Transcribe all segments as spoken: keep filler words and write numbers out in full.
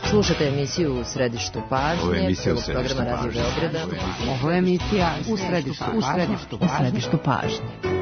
Slušate emisiju U središtu pažnje, prvog programa Radio Beograda. Ovo je emisija U središtu pažnje. U središtu pažnje.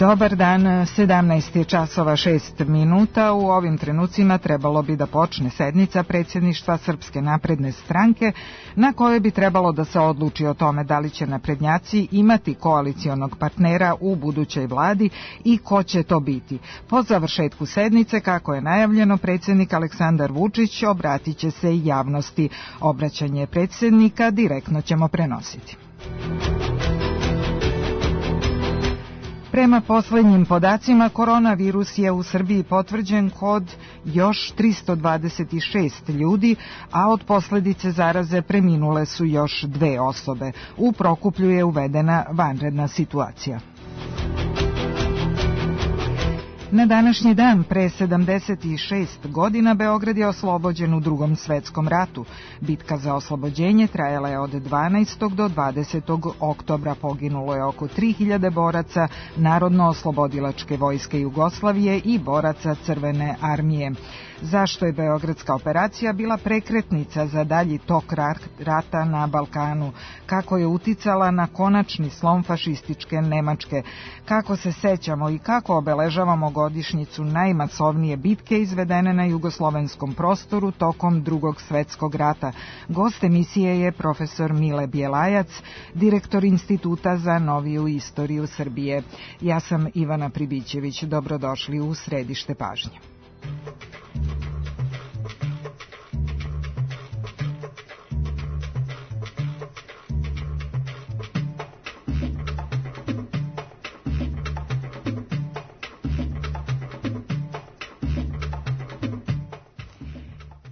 Dobar dan, sedamnaest je časova šest minuta. U ovim trenucima trebalo bi da počne sednica predsjedništva Srpske napredne stranke, na kojoj bi trebalo da se odluči o tome da li će naprednjaci imati koalicionog partnera u budućoj vladi i ko će to biti. Po završetku sednice, kako je najavljeno, predsjednik Aleksandar Vučić obratit će se i javnosti. Obraćanje predsjednika direktno ćemo prenositi. Prema poslednjim podacima, koronavirus je u Srbiji potvrđen kod još tristo dvadeset šest ljudi, a od posledice zaraze preminule su još dve osobe. U Prokuplju je uvedena vanredna situacija. Na današnji dan, pre sedamdeset šest godina, Beograd je oslobođen u Drugom svetskom ratu. Bitka za oslobođenje trajala je od dvanaestog do dvadesetog oktobra. Poginulo je oko tri hiljade boraca Narodno-oslobodilačke vojske Jugoslavije i boraca Crvene armije. Zašto je beogradska operacija bila prekretnica za dalji tok rata na Balkanu? Kako je uticala na konačni slom fašističke Nemačke? Kako se sećamo i kako obeležavamo godišnjicu najmasovnije bitke izvedene na jugoslovenskom prostoru tokom Drugog svetskog rata? Gost emisije je profesor Mile Bjelajac, direktor Instituta za noviju istoriju Srbije. Ja sam Ivana Pribićević. Dobrodošli u središte pažnje.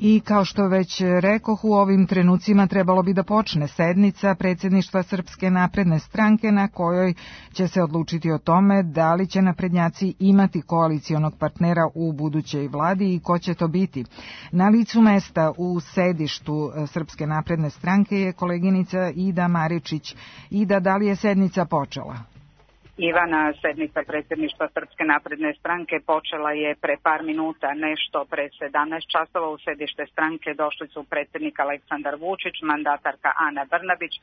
I kao što već rekoh, u ovim trenucima trebalo bi da počne sednica predsjedništva Srpske napredne stranke, na kojoj će se odlučiti o tome da li će naprednjaci imati koalicionog partnera u budućoj vladi i ko će to biti. Na licu mesta u sedištu Srpske napredne stranke je koleginica Ida Maričić. Ida, da li je sednica počela? Ivana, sednica predsjedništva Srpske napredne stranke počela je pre par minuta, nešto pre sedamnaest časova. U sedište stranke došli su predsjednik Aleksandar Vučić, mandatarka Ana Brnabić,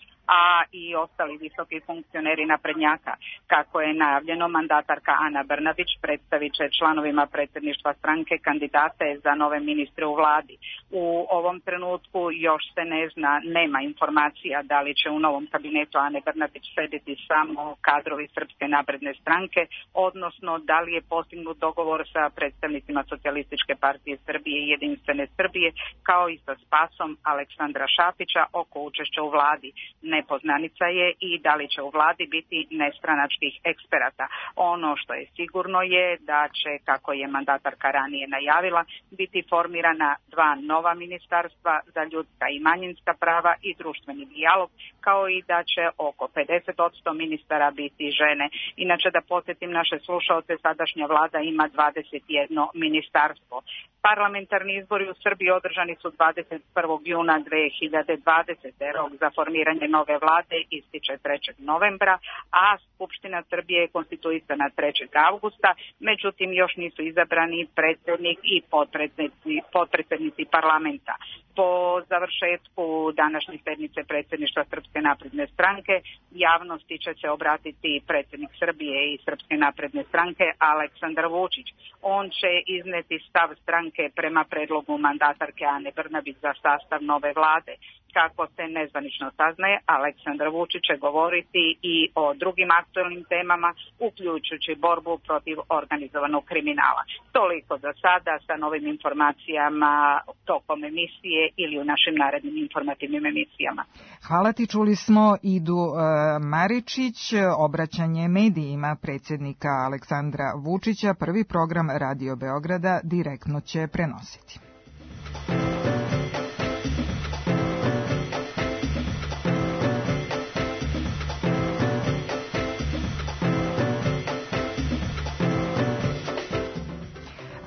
a i ostali visoki funkcioneri naprednjaka. Kako je najavljeno, mandatarka Ana Brnabić predstavit će članovima predsjedništva stranke kandidate za nove ministre u vladi. U ovom trenutku još se ne zna, nema informacija da li će u novom kabinetu Ane Brnabić sediti samo kadrovi Srpske napredne stranke, odnosno da li je postignut dogovor sa predstavnicima Socijalističke partije Srbije i Jedinstvene Srbije, kao i sa Spasom Aleksandra Šapića oko učešća u vladi. Nepoznanica je i da li će u vladi biti nestranačkih eksperata. Ono što je sigurno je da će, kako je mandatarka ranije najavila, biti formirana dva nova ministarstva za ljudska i manjinska prava i društveni dijalog, kao i da će oko pedeset posto ministara biti žene. Inače, da podsjetim naše slušaoce, sadašnja vlada ima dvadeset jedno ministarstvo. Parlamentarni izbori u Srbiji održani su dvadeset prvog juna dve hiljade dvadesete. Rok za formiranje nove vlade ističe trećeg novembra, a Skupština Srbije je konstituisana trećeg avgusta, međutim još nisu izabrani predsjednik i potpredsjednici, potpredsjednici parlamenta. Po završetku današnje sednice predsjedništva Srpske napredne stranke javnosti će se obratiti predsjednik Srbije i Srpske napredne stranke Aleksandar Vučić. On će izneti stav stranke prema predlogu mandatarke Ane Brnabić za sastav nove vlade. kako se nezvanično saznaje, Aleksandar Vučić će govoriti i o drugim aktualnim temama, uključujući borbu protiv organizovanog kriminala. Toliko za sada, sa novim informacijama tokom emisije ili u našim narednim informativnim emisijama. Hvala ti, čuli smo Idu e, Maričić, obraćanje medijima predsjednika Aleksandra Vučića, prvi program Radio Beograda direktno će prenositi.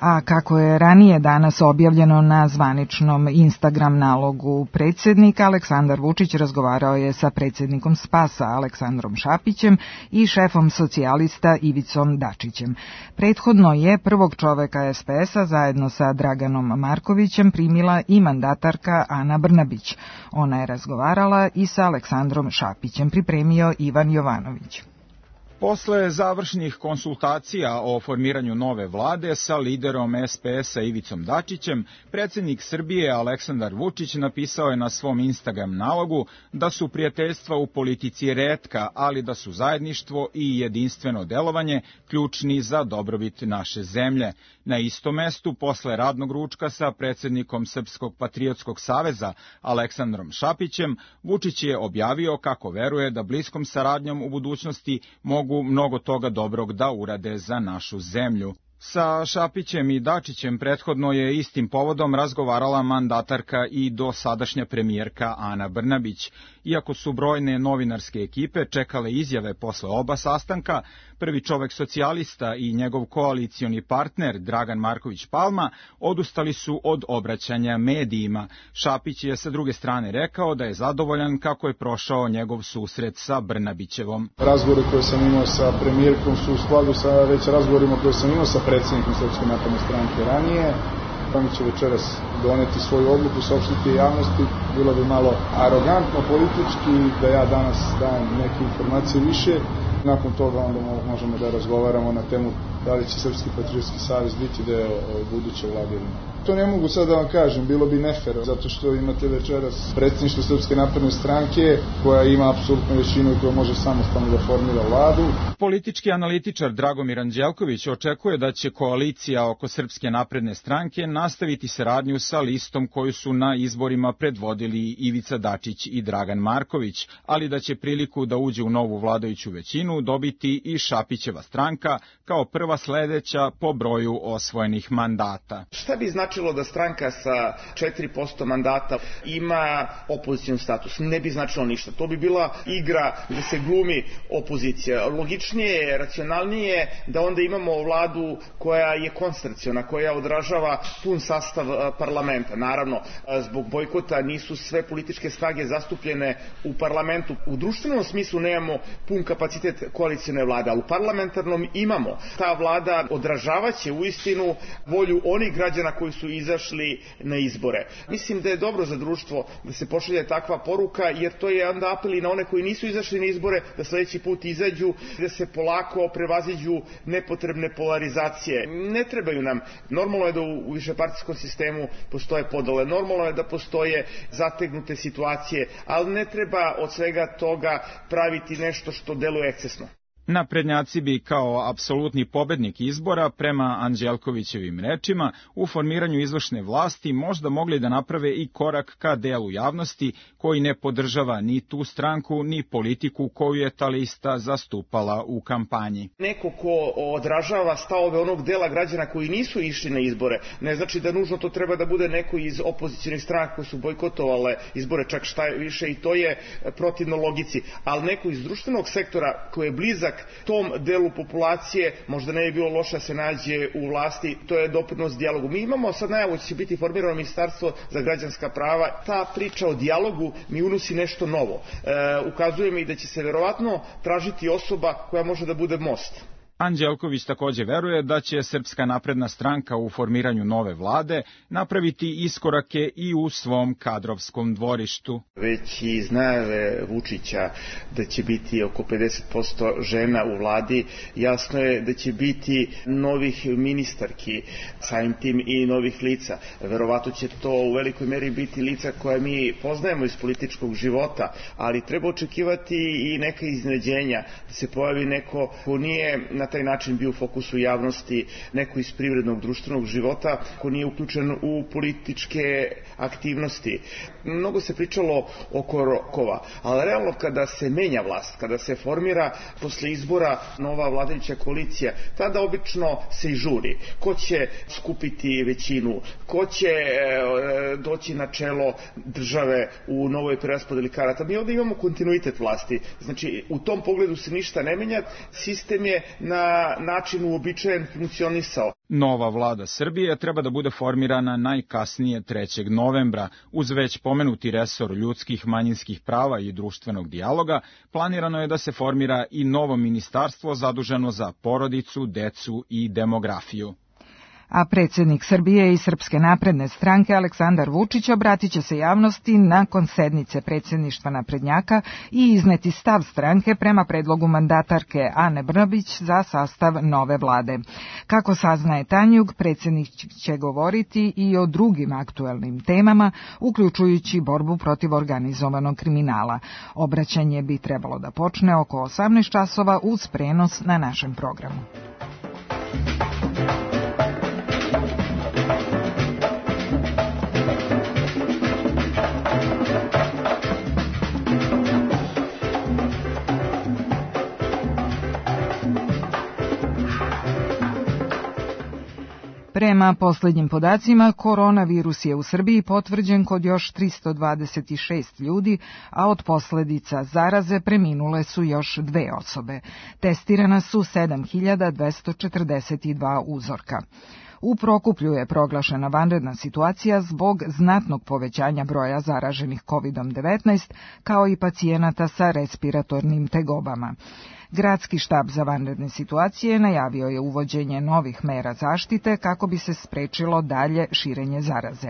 A kako je ranije danas objavljeno na zvaničnom Instagram nalogu predsjednika, Aleksandar Vučić razgovarao je sa predsjednikom Spasa Aleksandrom Šapićem i šefom socijalista Ivicom Dačićem. Prethodno je prvog čoveka es pe es-a zajedno sa Draganom Markovićem primila i mandatarka Ana Brnabić. Ona je razgovarala i sa Aleksandrom Šapićem, pripremio Ivan Jovanović. Posle završnih konsultacija o formiranju nove vlade sa liderom es pe es-a Ivicom Dačićem, predsjednik Srbije Aleksandar Vučić napisao je na svom Instagram nalogu da su prijateljstva u politici retka, ali da su zajedništvo i jedinstveno delovanje ključni za dobrobit naše zemlje. Na istom mestu, posle radnog ručka sa predsjednikom Srpskog patriotskog saveza Aleksandrom Šapićem, Vučić je objavio kako veruje da bliskom saradnjom u budućnosti mogu mnogo toga dobrog da urade za našu zemlju. Sa Šapićem i Dačićem prethodno je istim povodom razgovarala mandatarka i dosadašnja premijerka Ana Brnabić. Iako su brojne novinarske ekipe čekale izjave posle oba sastanka, prvi čovek socijalista i njegov koalicioni partner Dragan Marković Palma odustali su od obraćanja medijima. Šapić je sa druge strane rekao da je zadovoljan kako je prošao njegov susret sa Brnabićevom. Razgovore koje sam imao sa premijerkom su u skladu sa već razgovorima koje sam imao sa predsjednikom Srpske napredne stranke ranije. Oni će večeras doneti svoju odluku, saopštiti javnosti. Bilo bi malo arogantno politički da ja danas dajem neke informacije više. Nakon toga onda možemo da razgovaramo na temu da li će Srpski patriotski savez biti deo buduće vlade ili ne. To ne mogu sad da vam kažem, bilo bi nefer, zato što imate večeras predsjedništvo Srpske napredne stranke koja ima apsolutnu većinu i koja može samostalno da formira vladu. Politički analitičar Dragomir Anđelković očekuje da će koalicija oko Srpske napredne stranke nastaviti saradnju sa listom koju su na izborima predvodili Ivica Dačić i Dragan Marković, ali da će priliku da uđe u novu vladajuću većinu dobiti i Šapićeva stranka kao prva sledeća po broju osvojenih mandata. Šta bi značilo da stranka sa četiri posto mandata ima opozicioni status? Ne bi značilo ništa. To bi bila igra gde se glumi opozicija. Logičnije, racionalnije da onda imamo vladu koja je koncentraciona, koja odražava pun sastav parlamenta. Naravno, zbog bojkota nisu sve političke snage zastupljene u parlamentu. U društvenom smislu nemamo pun kapacitet koalicione vlade, ali u parlamentarnom imamo. Ta vlada odražavaće uistinu volju onih građana koji su izašli na izbore. Mislim da je dobro za društvo da se pošalje takva poruka, jer to je onda apel i na one koji nisu izašli na izbore da sledeći put izađu, da se polako prevaziđu nepotrebne polarizacije. Ne trebaju nam. Normalno je da u višepartijskom sistemu postoje podele, normalno je da postoje zategnute situacije, ali ne treba od svega toga praviti nešto što deluje ekscesno. Naprednjaci bi kao apsolutni pobednik izbora, prema Anđelkovićevim rečima, u formiranju izvršne vlasti možda mogli da naprave i korak ka delu javnosti koji ne podržava ni tu stranku, ni politiku koju je ta lista zastupala u kampanji. Neko ko odražava stavove onog dela građana koji nisu išli na izbore, ne znači da nužno to treba da bude neko iz opozicionih stranaka koji su bojkotovale izbore, čak šta je više, i to je protivno logici, ali neko iz društvenog sektora koji je blizak tom delu populacije, možda ne bi bilo loše da se nađe u vlasti, to je doprinos dijalogu. Mi imamo sad najavu da će biti formirano ministarstvo za građanska prava. Ta priča o dijalogu mi unosi nešto novo. E, ukazuje mi da će se verovatno tražiti osoba koja može da bude most. Anđelković takođe veruje da će Srpska napredna stranka u formiranju nove vlade napraviti iskorake i u svom kadrovskom dvorištu. Već iz najave Vučića da će biti oko pedeset posto žena u vladi, jasno je da će biti novih ministarki, samim tim i novih lica. Verovatno će to u velikoj meri biti lica koje mi poznajemo iz političkog života, ali treba očekivati i neka iznenađenja, da se pojavi neko ko nije na taj način bio u fokusu javnosti, neko iz privrednog društvenog života, ko nije uključen u političke aktivnosti. Mnogo se pričalo oko rokova, ali realno kada se menja vlast, kada se formira posle izbora nova vladajuća koalicija, tada obično se i žuri. Ko će skupiti većinu, ko će e, doći na čelo države u novoj preraspodeli karata. Mi ovdje imamo kontinuitet vlasti, znači u tom pogledu se ništa ne menja, sistem je na način uobičajen funkcionisao. Nova vlada Srbije treba da bude formirana najkasnije trećeg novembra. Uz već pomenuti resor ljudskih, manjinskih prava i društvenog dijaloga, planirano je da se formira i novo ministarstvo zaduženo za porodicu, decu i demografiju. A predsjednik Srbije i Srpske napredne stranke Aleksandar Vučić obratit će se javnosti nakon sednice predsjedništva naprednjaka i izneti stav stranke prema predlogu mandatarke Ane Brnabić za sastav nove vlade. Kako saznaje Tanjug, predsjednik će govoriti i o drugim aktuelnim temama, uključujući borbu protiv organizovanog kriminala. Obraćanje bi trebalo da počne oko osamnaest časova uz prenos na našem programu. Prema posljednjim podacima, koronavirus je u Srbiji potvrđen kod još tristo dvadeset šest ljudi, a od posljedica zaraze preminule su još dve osobe. Testirana su sedam hiljada dvesta četrdeset dva uzorka. U Prokuplju je proglašena vanredna situacija zbog znatnog povećanja broja zaraženih kovidom devetnaest, kao i pacijenata sa respiratornim tegobama. Gradski štab za vanredne situacije najavio je uvođenje novih mera zaštite kako bi se sprečilo dalje širenje zaraze.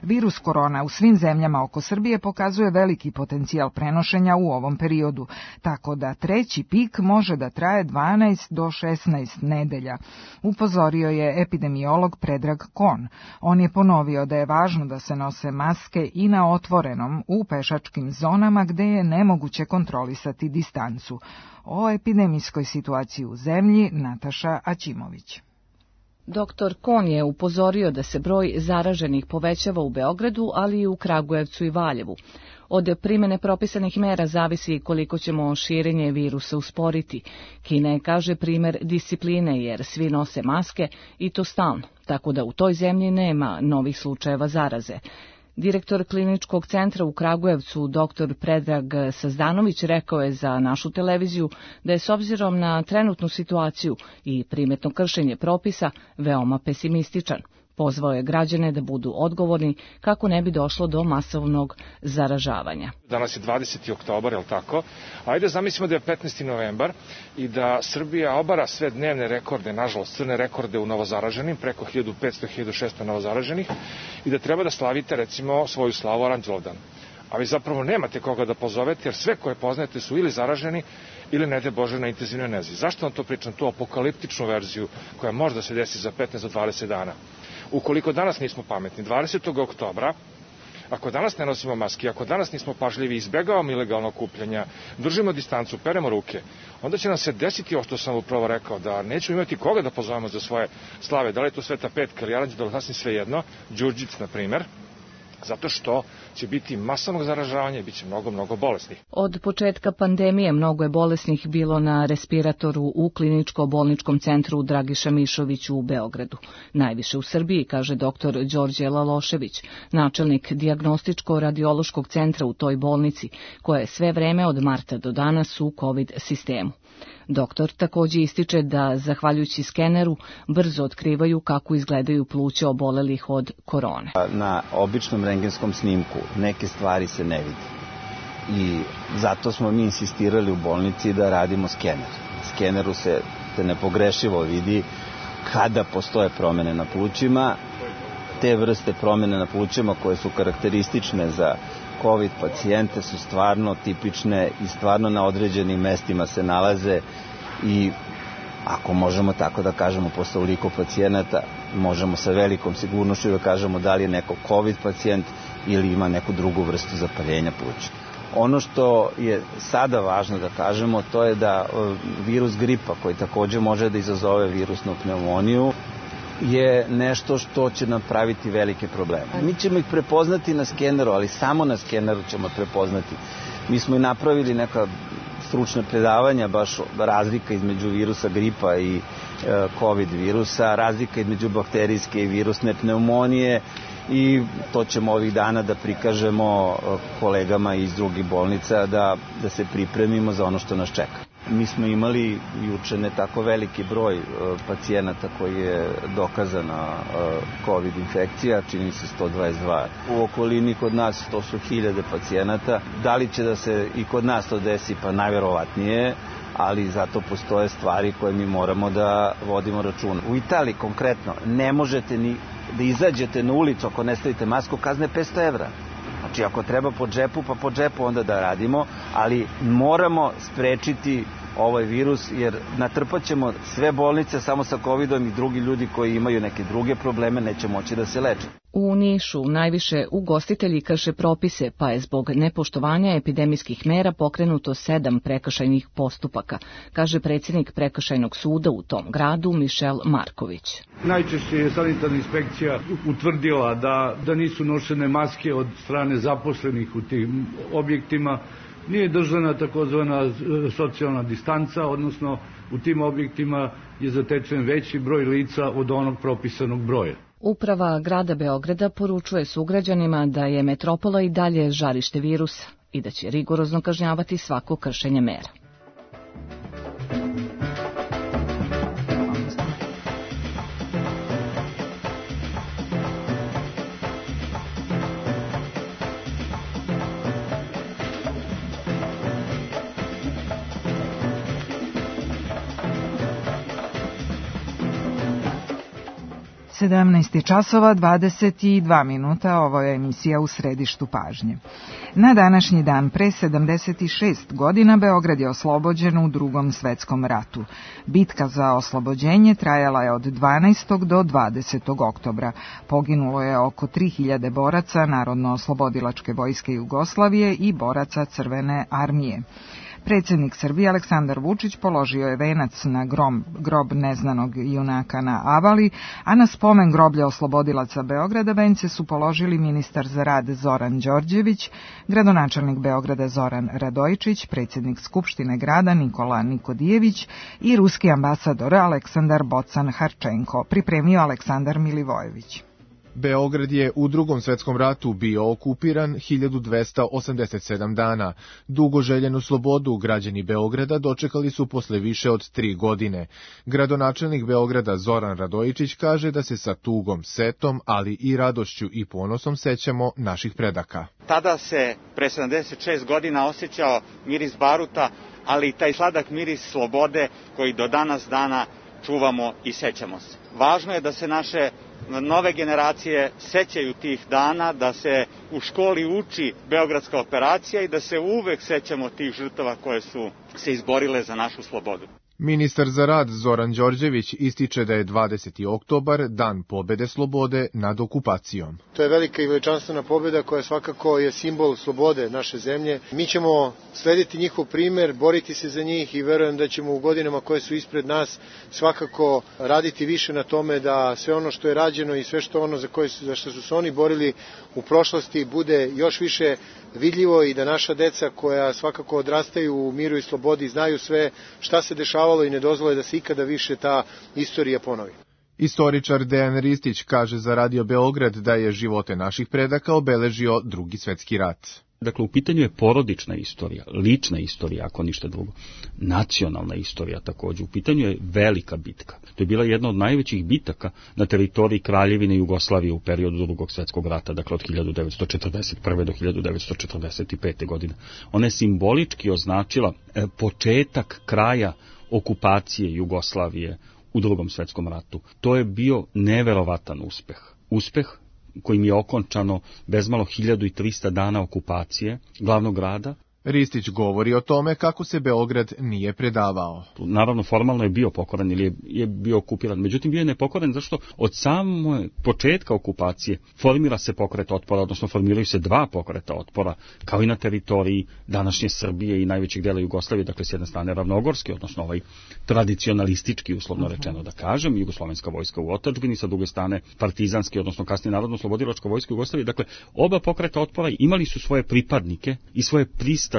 Virus korona u svim zemljama oko Srbije pokazuje veliki potencijal prenošenja u ovom periodu, tako da treći pik može da traje dvanaest do šesnaest nedelja, upozorio je epidemiolog Predrag Kon. On je ponovio da je važno da se nose maske i na otvorenom u pešačkim zonama gde je nemoguće kontrolisati distancu. O epidemijskoj situaciji u zemlji Nataša Aćimović. Doktor Kon je upozorio da se broj zaraženih povećava u Beogradu, ali i u Kragujevcu i Valjevu. Od primene propisanih mera zavisi koliko ćemo širenje virusa usporiti. Kina je, kaže, primer discipline jer svi nose maske i to stalno, tako da u toj zemlji nema novih slučajeva zaraze. Direktor kliničkog centra u Kragujevcu, doktor Predrag Sazdanović, rekao je za našu televiziju da je s obzirom na trenutnu situaciju i primetno kršenje propisa veoma pesimističan. Pozvao je građane da budu odgovorni kako ne bi došlo do masovnog zaražavanja. Danas je dvadeseti oktobar, je li tako? Ajde zamislimo da je petnaesti novembar i da Srbija obara sve dnevne rekorde, nažalost crne rekorde u novozaraženim, preko hiljadu petsto do hiljadu šesto novozaraženih, i da treba da slavite recimo svoju slavu Aranđelovdan. A vi zapravo nemate koga da pozovete jer sve koje poznajete su ili zaraženi ili ne de Bože na intenzivnoj nezi. Zašto vam to pričam? Tu apokaliptičnu verziju koja možda se desi za petnaest do dvadeset dana. Ukoliko danas nismo pametni, dvadesetog oktobra, ako danas ne nosimo maske, ako danas nismo pažljivi, izbjegavamo ilegalno okupljanja, držimo distancu, peremo ruke, onda će nam se desiti ovo što sam upravo rekao, da nećemo imati koga da pozovemo za svoje slave, da li je to Sveta Petka ili Aranđelovac, sasvim svejedno, Đurđic, na primer, zato što će biti masovnog zaražavanja i bit će mnogo, mnogo bolesnih. Od početka pandemije mnogo je bolesnih bilo na respiratoru u kliničko-bolničkom centru Dragiša Mišović u Beogradu. Najviše u Srbiji, kaže doktor Đorđe Lalošević, načelnik dijagnostičko-radiološkog centra u toj bolnici, koja je sve vreme od marta do danas u COVID sistemu. Doktor također ističe da, zahvaljujući skeneru, brzo otkrivaju kako izgledaju pluća obolelih od korone. Na običnom rentgenskom snimku neke stvari se ne vidi i zato smo mi insistirali u bolnici da radimo skener. Skeneru se se nepogrešivo vidi kada postoje promene na plućima. Te vrste promene na plućima koje su karakteristične za COVID pacijente su stvarno tipične i stvarno na određenim mestima se nalaze i ako možemo tako da kažemo posle ovoliko pacijenata, možemo sa velikom sigurnošću da kažemo da li je neko COVID pacijent ili ima neku drugu vrstu zapaljenja pluća. Ono što je sada važno da kažemo, to je da virus gripa, koji takođe može da izazove virusnu pneumoniju, je nešto što će nam praviti velike probleme. Mi ćemo ih prepoznati na skeneru, ali samo na skeneru ćemo prepoznati. Mi smo i napravili neka stručna predavanja, baš razlika između virusa gripa i e, COVID virusa, razlika između bakterijske i virusne pneumonije i to ćemo ovih dana da prikažemo kolegama iz drugih bolnica da, da se pripremimo za ono što nas čeka. Mi smo imali juče ne tako veliki broj pacijenata koji je dokazana COVID infekcija, čini se sto dvadeset dva. U okolini kod nas to su hiljade pacijenata. Da li će da se i kod nas to desi? Pa najverovatnije, ali zato postoje stvari koje mi moramo da vodimo računa. U Italiji konkretno ne možete ni da izađete na ulicu ako ne stavite masku, kazne petsto evra. Znači, ako treba po džepu, pa po džepu onda da radimo, ali moramo sprečiti ovaj virus, jer natrpat ćemo sve bolnice samo sa covidom i drugi ljudi koji imaju neke druge probleme neće moći da se leče. U Nišu najviše ugostitelji krše propise, pa je zbog nepoštovanja epidemijskih mera pokrenuto sedam prekršajnih postupaka, kaže predsjednik prekršajnog suda u tom gradu Mišel Marković. Najčešće je sanitarna inspekcija utvrdila da, da nisu nošene maske od strane zaposlenih u tim objektima, nije držana takozvana socijalna distanca, odnosno u tim objektima je zatečen veći broj lica od onog propisanog broja. Uprava grada Beograda poručuje sugrađanima da je metropola i dalje žarište virusa i da će rigorozno kažnjavati svako kršenje mera. sedamnaest časova dvadeset dva minuta, ovo je emisija U središtu pažnje. Na današnji dan pre sedamdeset šest godina Beograd je oslobođen u Drugom svetskom ratu. Bitka za oslobođenje trajala je od dvanaestog do dvadesetog oktobra. Poginulo je oko tri hiljade boraca Narodno-oslobodilačke vojske Jugoslavije i boraca Crvene armije. Predsjednik Srbije Aleksandar Vučić položio je venac na grob, grob neznanog junaka na Avali, a na spomen groblja oslobodilaca Beograda vence su položili ministar za rad Zoran Đorđević, gradonačelnik Beograda Zoran Radojičić, predsjednik Skupštine grada Nikola Nikodijević i ruski ambasador Aleksandar Bocan Harčenko, pripremio Aleksandar Milivojević. Beograd je u Drugom svetskom ratu bio okupiran hiljadu dvesta osamdeset sedam dana. Dugo željenu slobodu građani Beograda dočekali su posle više od tri godine. Gradonačelnik Beograda Zoran Radojičić kaže da se sa tugom, setom, ali i radošću i ponosom sećamo naših predaka. Tada se pre sedamdeset šest godina osjećao miris baruta, ali i taj sladak miris slobode koji do danas dana čuvamo i sećamo se. Važno je da se naše nove generacije sećaju tih dana, da se u školi uči Beogradska operacija i da se uvek sećamo tih žrtava koje su se izborile za našu slobodu. Ministar za rad Zoran Đorđević ističe da je dvadeseti oktobar dan pobede slobode nad okupacijom. To je velika i veličanstvena pobeda koja svakako je simbol slobode naše zemlje. Mi ćemo slediti njihov primer, boriti se za njih i verujem da ćemo u godinama koje su ispred nas svakako raditi više na tome da sve ono što je rađeno i sve što ono za, koje su, za što su se oni borili u prošlosti bude još više vidljivo i da naša deca koja svakako odrastaju u miru i slobodi znaju sve šta se dešavalo i ne dozvole da se ikada više ta istorija ponovi. Istoričar Dejan Ristić kaže za Radio Beograd da je živote naših predaka obeležio Drugi svetski rat. Dakle, u pitanju je porodična istorija, lična istorija, ako ništa drugo, nacionalna istorija takođe. U pitanju je velika bitka. To je bila jedna od najvećih bitaka na teritoriji Kraljevine Jugoslavije u periodu Drugog svetskog rata, dakle od hiljadu devetsto četrdeset prve. do hiljadu devetsto četrdeset pete. godine. Ona je simbolički označila početak kraja okupacije Jugoslavije u Drugom svetskom ratu. To je bio neverovatan uspeh. Uspeh kojim je okončano bezmalo hiljadu trista dana okupacije glavnog grada. Ristić govori o tome kako se Beograd nije predavao. Naravno, formalno je bio pokoran ili je, je bio okupiran, međutim bio je nepokoran zašto od samog početka okupacije formira se pokret otpora, odnosno formiraju se dva pokreta otpora, kao i na teritoriji današnje Srbije i najvećeg dela Jugoslavije, dakle s jedne strane ravnogorski, odnosno ovaj tradicionalistički, uslovno rečeno da kažem, jugoslovenska vojska u otadžbini, sa druge strane partizanski, odnosno kasnije narodno-slobodilačka vojska Jugoslavije. Dakle, oba pokreta otpora imali su svoje pripadnike i svoje prista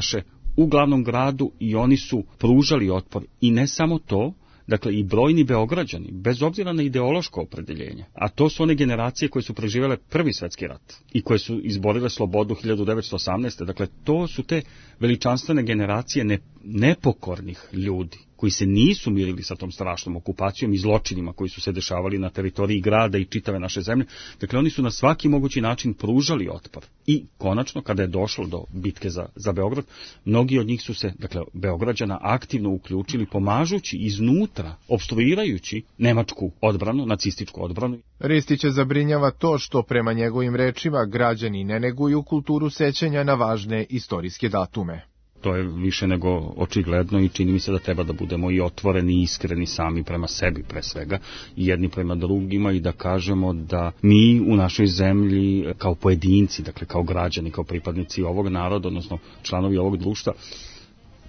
u glavnom gradu i oni su pružali otpor. I ne samo to, dakle i brojni Beograđani, bez obzira na ideološko opredeljenje, a to su one generacije koje su preživjele Prvi svjetski rat i koje su izborile slobodu hiljadu devetsto osamnaeste. Dakle, to su te veličanstvene generacije ne, nepokornih ljudi koji se nisu mirili sa tom strašnom okupacijom i zločinima koji su se dešavali na teritoriji grada i čitave naše zemlje. Dakle, oni su na svaki mogući način pružali otpor. I konačno, kada je došlo do bitke za, za Beograd, mnogi od njih su se, dakle, Beograđana aktivno uključili, pomažući iznutra, opstruirajući nemačku odbranu, nacističku odbranu. Ristića zabrinjava to što, prema njegovim rečima, građani ne neguju kulturu sećanja na važne istorijske datume. To je više nego očigledno i čini mi se da treba da budemo i otvoreni i iskreni sami prema sebi pre svega i jedni prema drugima i da kažemo da mi u našoj zemlji kao pojedinci, dakle kao građani, kao pripadnici ovog naroda, odnosno članovi ovog društva,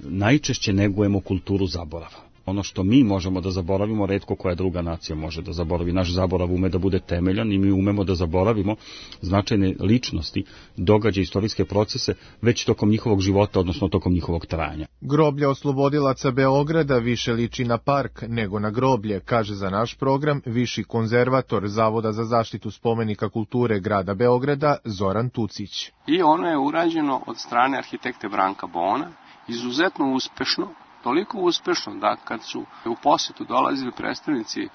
najčešće negujemo kulturu zaborava. Ono što mi možemo da zaboravimo, retko koja druga nacija može da zaboravi. Naš zaborav ume da bude temeljan i mi umemo da zaboravimo značajne ličnosti, događaje, istorijske procese, već tokom njihovog života, odnosno tokom njihovog trajanja. Groblje oslobodilaca Beograda više liči na park nego na groblje, kaže za naš program viši konzervator Zavoda za zaštitu spomenika kulture grada Beograda Zoran Tucić. I ono je urađeno od strane arhitekte Branka Bona, izuzetno uspešno, toliko uspešno da kad su u posetu dolazili predstavnici e,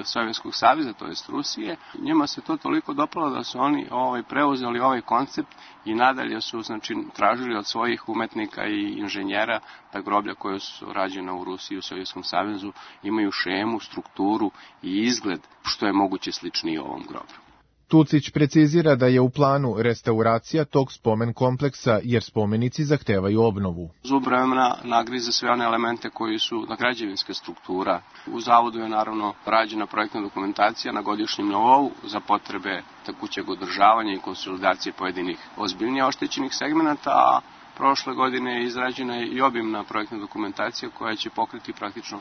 Sovjetskog saveza, to jest Rusije, njima se to toliko dopalo da su oni ovaj, preuzeli ovaj koncept i nadalje su znači, tražili od svojih umetnika i inženjera da groblja koje su rađena u Rusiji i u Sovjetskom savezu imaju šemu, strukturu i izgled što je moguće sličniji ovom groblju. Tucić precizira da je u planu restauracija tog spomen kompleksa jer spomenici zahtevaju obnovu. Zub vremena nagrize sve one elemente koji su na građevinska struktura. U zavodu je naravno rađena projektna dokumentacija na godišnjem nivou za potrebe tekućeg održavanja i konsolidacije pojedinih ozbiljnije oštećenih segmenata, a prošle godine je izrađena i obimna projektna dokumentacija koja će pokriti praktično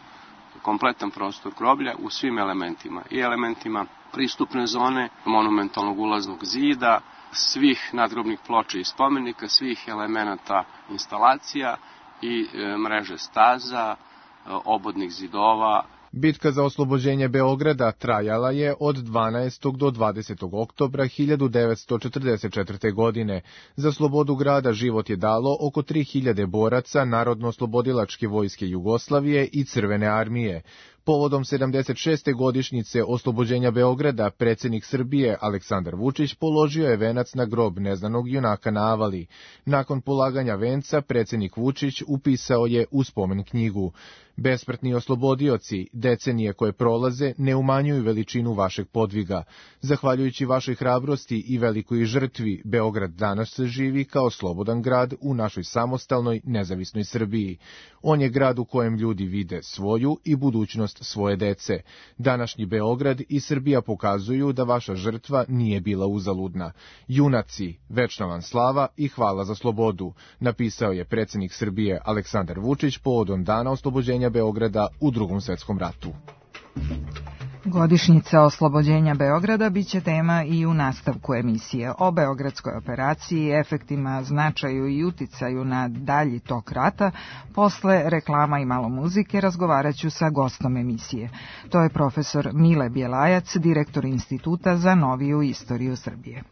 kompletan prostor groblja u svim elementima i elementima pristupne zone, monumentalnog ulaznog zida, svih nadgrobnih ploča i spomenika, svih elemenata instalacija i e, mreže staza, e, obodnih zidova. Bitka za oslobođenje Beograda trajala je od dvanaestog do dvadesetog oktobra hiljadu devetsto četrdeset četvrte. godine. Za slobodu grada život je dalo oko tri hiljade boraca Narodno-oslobodilačke vojske Jugoslavije i Crvene armije. Povodom sedamdeset šeste godišnjice oslobođenja Beograda, predsjednik Srbije Aleksandar Vučić položio je venac na grob neznanog junaka na Avali. Nakon polaganja venca, predsjednik Vučić upisao je u spomen knjigu: Besmrtni oslobodioci, decenije koje prolaze ne umanjuju veličinu vašeg podviga. Zahvaljujući vašoj hrabrosti i velikoj žrtvi, Beograd danas živi kao slobodan grad u našoj samostalnoj, nezavisnoj Srbiji. On je grad u kojem ljudi vide svoju i budućnost svoje dece. Današnji Beograd i Srbija pokazuju da vaša žrtva nije bila uzaludna. Junaci, večna vam slava i hvala za slobodu, napisao je predsjednik Srbije Aleksandar Vučić povodom dana oslobođenja Beograda u Drugom svjetskom ratu. Godišnjica oslobođenja Beograda biće tema i u nastavku emisije. O beogradskoj operaciji, efektima, značaju i uticaju na dalji tok rata, posle reklama i malo muzike razgovarat ću sa gostom emisije. To je profesor Mile Bjelajac, direktor Instituta za noviju istoriju Srbije.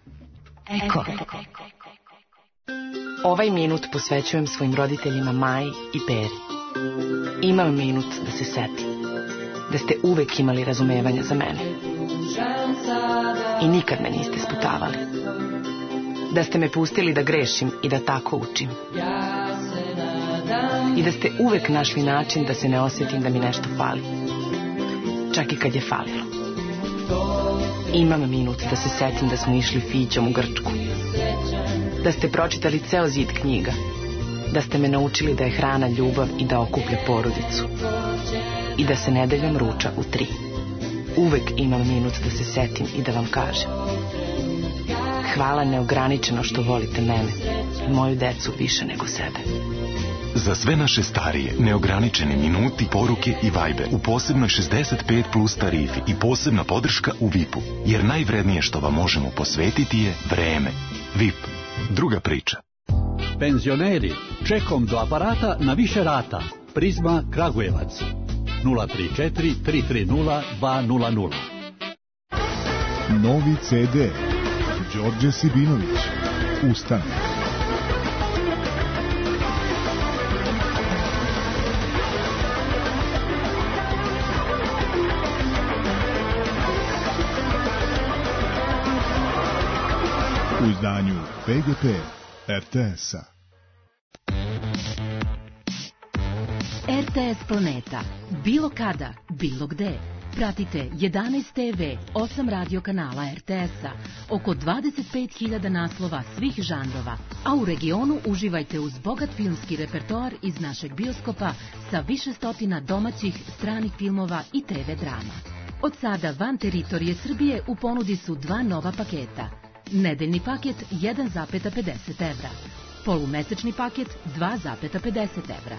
Eko. Ovaj minut posvećujem svojim roditeljima Maji i Peri. Imam minut da se setim da ste uvek imali razumevanja za mene i nikad me niste sputavali, da ste me pustili da grešim i da tako učim. I da ste uvek našli način da se ne osjetim da mi nešto fali. Čak i kad je falilo. Imam minut da se setim da smo išli Fićom u Grčku. Da ste pročitali ceo zid knjiga. Da ste me naučili da je hrana ljubav i da okuplja porodicu. I da se nedeljom ruča u tri. Uvek imam minut da se setim i da vam kažem. Hvala neograničeno što volite mene i moju decu više nego sebe. Za sve naše starije, neograničeni minuti, poruke i Viber u posebnoj šezdeset pet plus tarifi i posebna podrška u V I P-u. Jer najvrednije što vam možemo posvetiti je vreme. V I P. Druga priča. Penzioneri, čekom do aparata na više rata. Prizma Kragujevac. nula tri četiri tri tri nula dva nula nula. Novi ce de. Đorđe Sibinović. Ustanak. U izdanju P G P R T S-a. R T S Planeta. Bilo kada, bilo gde. Pratite jedanaest te ve, osam radio kanala R T S-a, oko dvadeset pet hiljada naslova svih žanrova, a u regionu uživajte uz bogat filmski repertoar iz našeg bioskopa sa više stotina domaćih, stranih filmova i te ve drama. Od sada van teritorije Srbije u ponudi su dva nova paketa. Nedeljni paket jedan zarez pedeset evra, polumesečni paket dva zarez pedeset evra.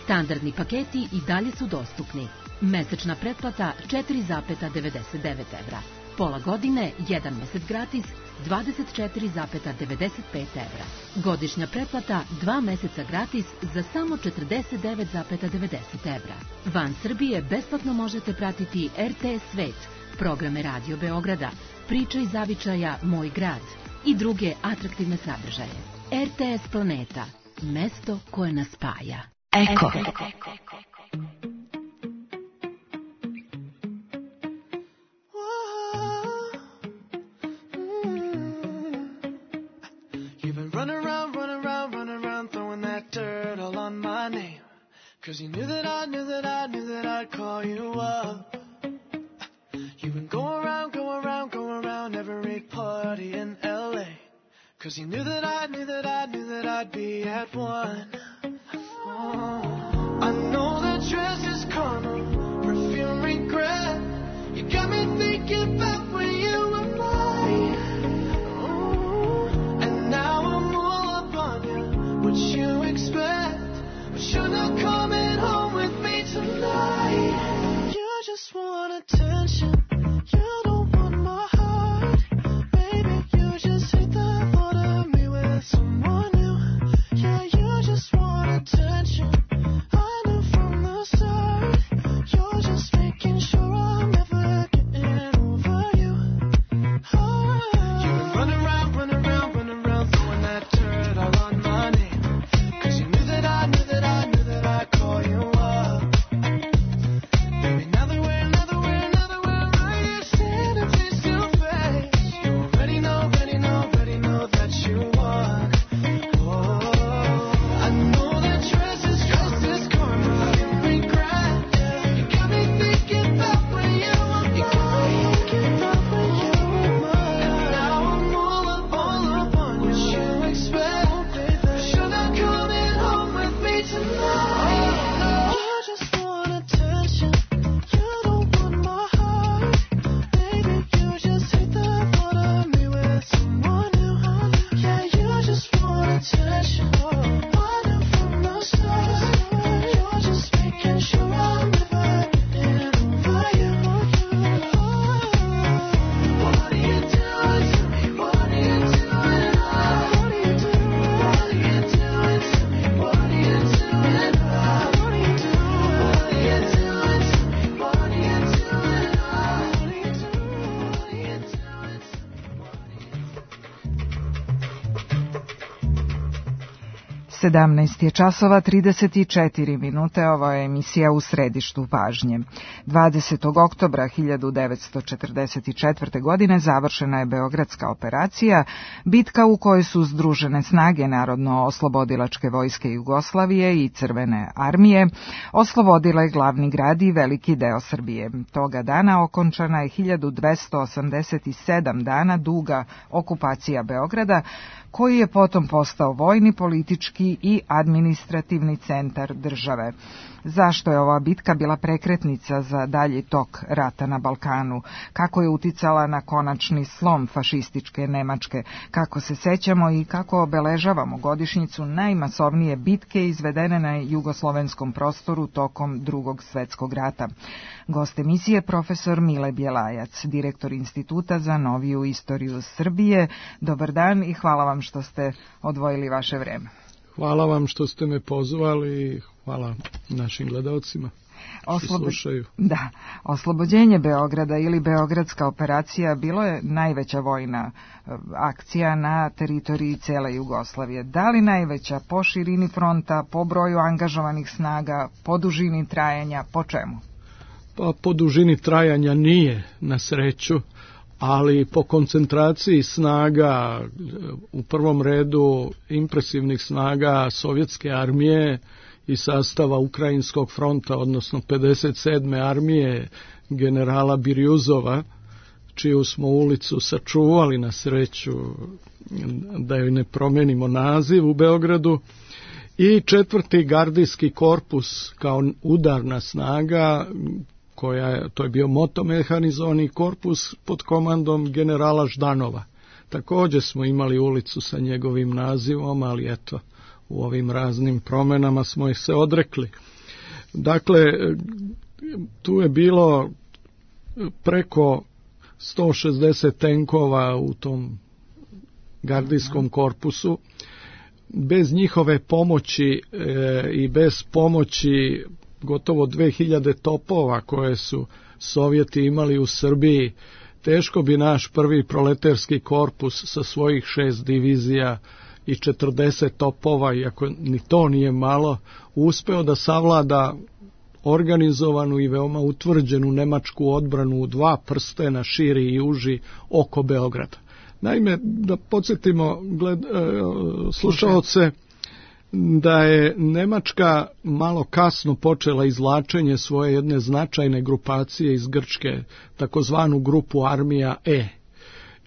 Standardni paketi i dalje su dostupni. Mesečna pretplata četiri zarez devedeset devet evra. Pola godine, jedan mesec gratis, dvadeset četiri zarez devedeset pet evra. Godišnja pretplata, dva meseca gratis za samo četrdeset devet zarez devedeset evra. Van Srbije besplatno možete pratiti R T S Svet, programe Radio Beograda, Priča i zavičaja Moj grad i druge atraktivne sadržaje. R T S Planeta, mesto koje nas spaja. Eko. Cause you knew that I knew that I knew that I'd call you up. You've been going around, going around, going around every party in L A. Cause you knew that I knew that I knew that I'd be at one. Oh, I know that dress is karma, perfume regret. You got me thinking about when you were mine. Oh, and now I'm all up on you. What you expect? But you're not coming home with me tonight. You just want attention. You don't want my heart. Baby, you just hate the thought of me with someone new. Yeah, you just want attention. I knew from the start. You're just making sure I'm never getting over you. Oh, you run around, run around, run around, throwing that dirt all on my name. Cause you knew that I knew that I knew that I'd call you up. Baby, now that we're, now that we're, now that we're sedamnaest je časova trideset četiri minute, ovo je emisija U središtu pažnje. dvadesetog oktobra hiljadu devetsto četrdeset četvrte. godine završena je Beogradska operacija, bitka u kojoj su združene snage Narodno-oslobodilačke vojske Jugoslavije i Crvene armije oslobodile glavni grad i veliki deo Srbije. Toga dana okončana je hiljadu dvesta osamdeset sedam dana duga okupacija Beograda, koji je potom postao vojni, politički i administrativni centar države. Zašto je ova bitka bila prekretnica za dalji tok rata na Balkanu? Kako je uticala na konačni slom fašističke Nemačke? Kako se sećamo i kako obeležavamo godišnjicu najmasovnije bitke izvedene na jugoslovenskom prostoru tokom Drugog svetskog rata? Gost emisije profesor Mile Bjelajac, direktor Instituta za noviju istoriju Srbije. Dobar dan i hvala vam što ste odvojili vaše vreme. Hvala vam što ste me pozvali i hvala našim gledalcima što Oslobo... slušaju. Da, oslobođenje Beograda ili Beogradska operacija bilo je najveća vojna akcija na teritoriji cele Jugoslavije. Da li najveća po širini fronta, po broju angažovanih snaga, po dužini trajanja, po čemu? Pa po dužini trajanja nije, na sreću, ali po koncentraciji snaga, u prvom redu impresivnih snaga sovjetske armije i sastava Ukrajinskog fronta, odnosno pedeset sedme armije generala Birjuzova, čiju smo ulicu sačuvali, na sreću da joj ne promenimo naziv, u Beogradu, i četvrti gardijski korpus kao udarna snaga, koja je, to je bio motomehanizovani korpus pod komandom generala Ždanova. Također smo imali ulicu sa njegovim nazivom, ali eto, u ovim raznim promenama smo ih se odrekli. Dakle, tu je bilo preko sto šezdeset tenkova u tom gardijskom korpusu. Bez njihove pomoći e, i bez pomoći gotovo dve hiljade topova koje su Sovjeti imali u Srbiji, teško bi naš prvi proleterski korpus sa svojih šest divizija i četrdeset topova, iako ni to nije malo, uspeo da savlada organizovanu i veoma utvrđenu nemačku odbranu u dva prstena, širi i uži, oko Beograda. Naime, da podsjetimo gled, e, slušaoce, da je Nemačka malo kasno počela izvlačenje svoje jedne značajne grupacije iz Grčke, takozvanu grupu armija E.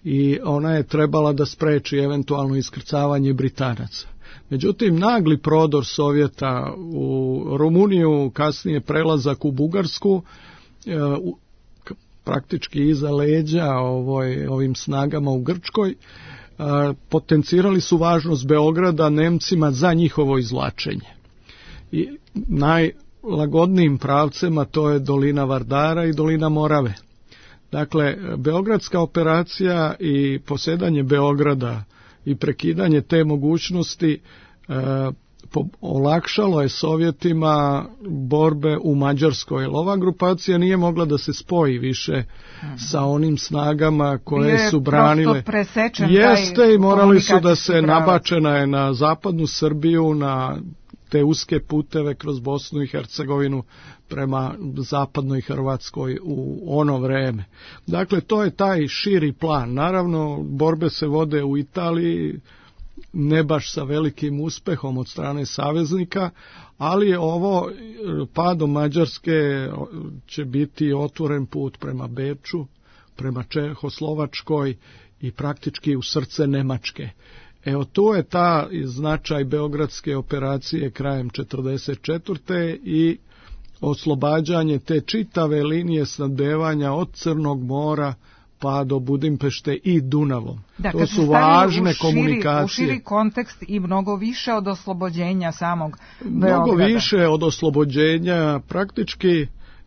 I ona je trebala da spreči eventualno iskrcavanje Britanaca. Međutim, nagli prodor Sovjeta u Rumuniju, kasnije prelazak u Bugarsku, u, praktički iza leđa ovoj, ovim snagama u Grčkoj, potencirali su važnost Beograda Nemcima za njihovo izvlačenje. I najlagodnijim pravcema to je dolina Vardara i dolina Morave. Dakle, Beogradska operacija i posjedanje Beograda i prekidanje te mogućnosti e, po, olakšalo je Sovjetima borbe u Mađarskoj. Ova grupacija nije mogla da se spoji više hmm. sa onim snagama koje je su branile. Jeste, i morali su da se pravac. Nabačena je na zapadnu Srbiju, na te uske puteve kroz Bosnu i Hercegovinu prema zapadnoj Hrvatskoj u ono vreme. Dakle, to je taj širi plan. Naravno, borbe se vode u Italiji, ne baš sa velikim uspehom od strane saveznika, ali je ovo, padom Mađarske će biti otvoren put prema Beču, prema Čehoslovačkoj i praktički u srce Nemačke. Evo, to je ta značaj Beogradske operacije krajem četrdeset četvrte i oslobađanje te čitave linije snabdevanja od Crnog mora pa do Budimpešte i Dunavom. Da, to su važne u širi, komunikacije. U širi kontekst i mnogo više od oslobođenja samog Beograda. Mnogo više od oslobođenja, praktički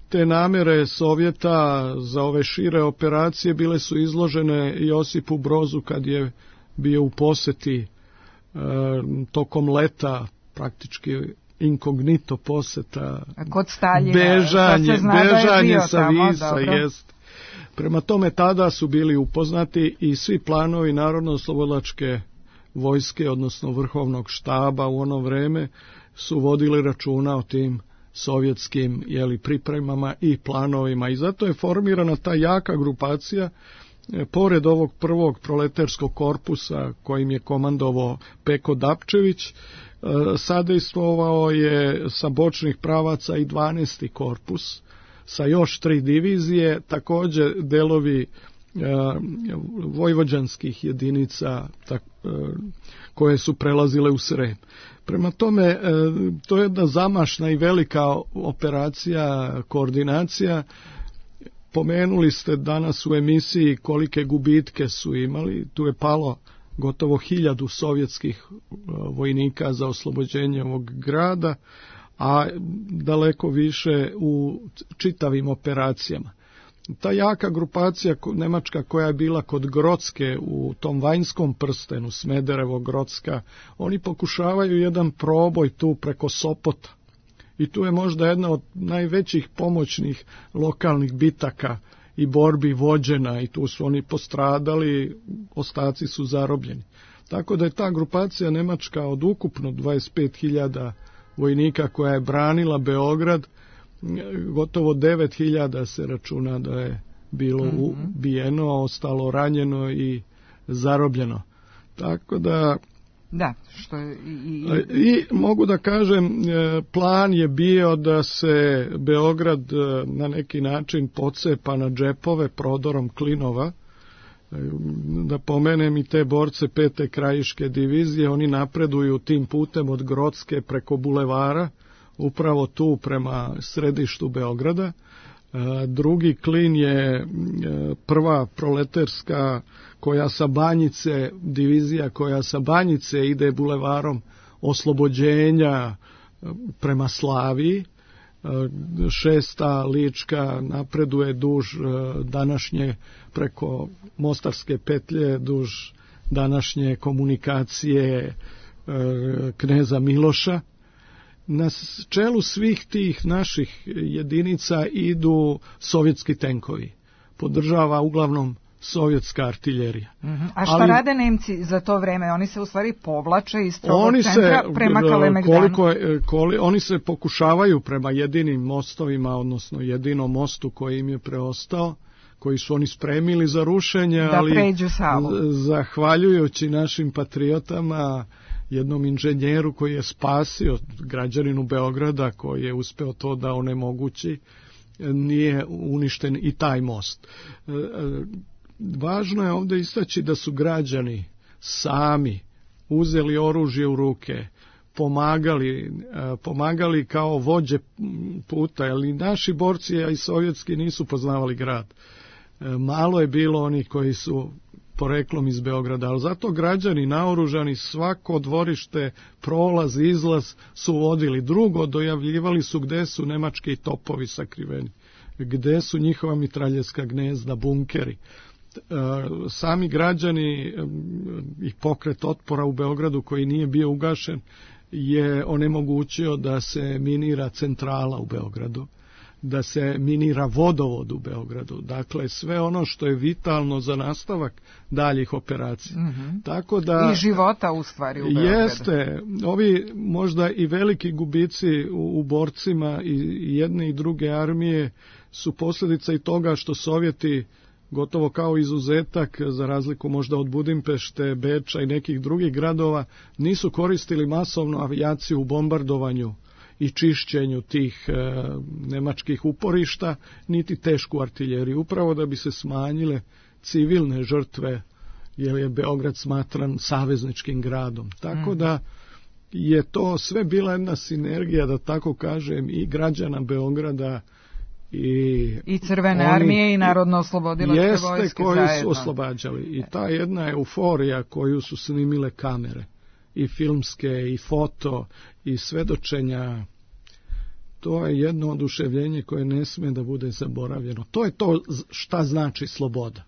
te namere Sovjeta za ove šire operacije bile su izložene Josipu Brozu kad je bio u poseti e, tokom leta, praktički inkognito poseta, kod Staljina, bežanje, bežanje sa tamo, Visa, jest. Prema tome tada su bili upoznati i svi planovi Narodno-oslobodilačke vojske, odnosno vrhovnog štaba u ono vreme, su vodili računa o tim sovjetskim jeli, pripremama i planovima. I zato je formirana ta jaka grupacija, e, pored ovog prvog proletarskog korpusa kojim je komandovao Peko Dapčević, e, sadejstvovao je sa bočnih pravaca i dvanaesti korpus, sa još tri divizije, također delovi vojvođanskih jedinica tak, koje su prelazile u Srem. Prema tome, to je jedna zamašna i velika operacija, koordinacija. Pomenuli ste danas u emisiji kolike gubitke su imali. Tu je palo gotovo hiljadu sovjetskih vojnika za oslobođenje ovog grada, a daleko više u čitavim operacijama. Ta jaka grupacija nemačka koja je bila kod Grocke u tom vanjskom prstenu, Smederevo, Grocka, oni pokušavaju jedan proboj tu preko Sopota. I tu je možda jedna od najvećih pomoćnih lokalnih bitaka i borbi vođena i tu su oni postradali, ostaci su zarobljeni. Tako da je ta grupacija nemačka od ukupno dvadeset pet hiljada vojnika koja je branila Beograd, gotovo devet hiljada se računa da je bilo ubijeno, a ostalo ranjeno i zarobljeno. Tako da Da, što je i, i... I mogu da kažem, plan je bio da se Beograd na neki način pocepa na džepove prodorom klinova. Da pomenem i te borce pete krajiške divizije, oni napreduju tim putem od Grocke preko bulevara, upravo tu prema središtu Beograda. Drugi klin je prva proletarska koja sa Banjice, divizija koja sa Banjice ide bulevarom Oslobođenja prema Slaviji. Šesta lička napreduje duž današnje preko Mostarske petlje, duž današnje komunikacije kneza Miloša. Na čelu svih tih naših jedinica idu sovjetski tenkovi. Podržava uglavnom sovjetska artiljerija. Mm-hmm. A šta Ali, rade Nemci za to vreme? Oni se u stvari povlače iz tog oni centra se, prema Kalemegdanu? Koliko, koli, oni se pokušavaju prema jedinim mostovima, odnosno jedinom mostu koji im je preostao, koji su oni spremili za rušenje, da ali pređu Savu. Zahvaljujući našim patriotama, jednom inženjeru koji je spasio građaninu Beograda, koji je uspeo to da onemogući, nije uništen i taj most. Važno je ovdje istaći da su građani sami uzeli oružje u ruke, pomagali, pomagali kao vođe puta, ali naši borci, a i sovjetski, nisu poznavali grad. Malo je bilo onih koji su poreklom iz Beograda, ali zato građani naoružani svako dvorište, prolaz, izlaz su vodili. Drugo, dojavljivali su gde su nemački topovi sakriveni, gde su njihova mitraljevska gnezda, bunkeri. Sami građani i pokret otpora u Beogradu koji nije bio ugašen je onemogućio da se minira centrala u Beogradu, da se minira vodovod u Beogradu. Dakle, sve ono što je vitalno za nastavak daljih operacija. Mm-hmm. Tako da, i života u stvari u Beogradu. Jeste, ovi možda i veliki gubici u, u borcima i jedne i druge armije su posljedica i toga što Sovjeti, gotovo kao izuzetak, za razliku možda od Budimpešte, Beča i nekih drugih gradova, nisu koristili masovnu avijaciju u bombardovanju i čišćenju tih e, nemačkih uporišta, niti tešku artiljeriju, upravo da bi se smanjile civilne žrtve, jer je Beograd smatran savezničkim gradom. Tako da je to sve bila jedna sinergija, da tako kažem, i građana Beograda i, i Crvene oni, armije i Narodno oslobodilačke vojske jeste koji zajedno. Su oslobađali. I ta jedna euforija koju su snimile kamere, i filmske, i foto, i svedočenja, to je jedno oduševljenje koje ne sme da bude zaboravljeno. To je to šta znači sloboda.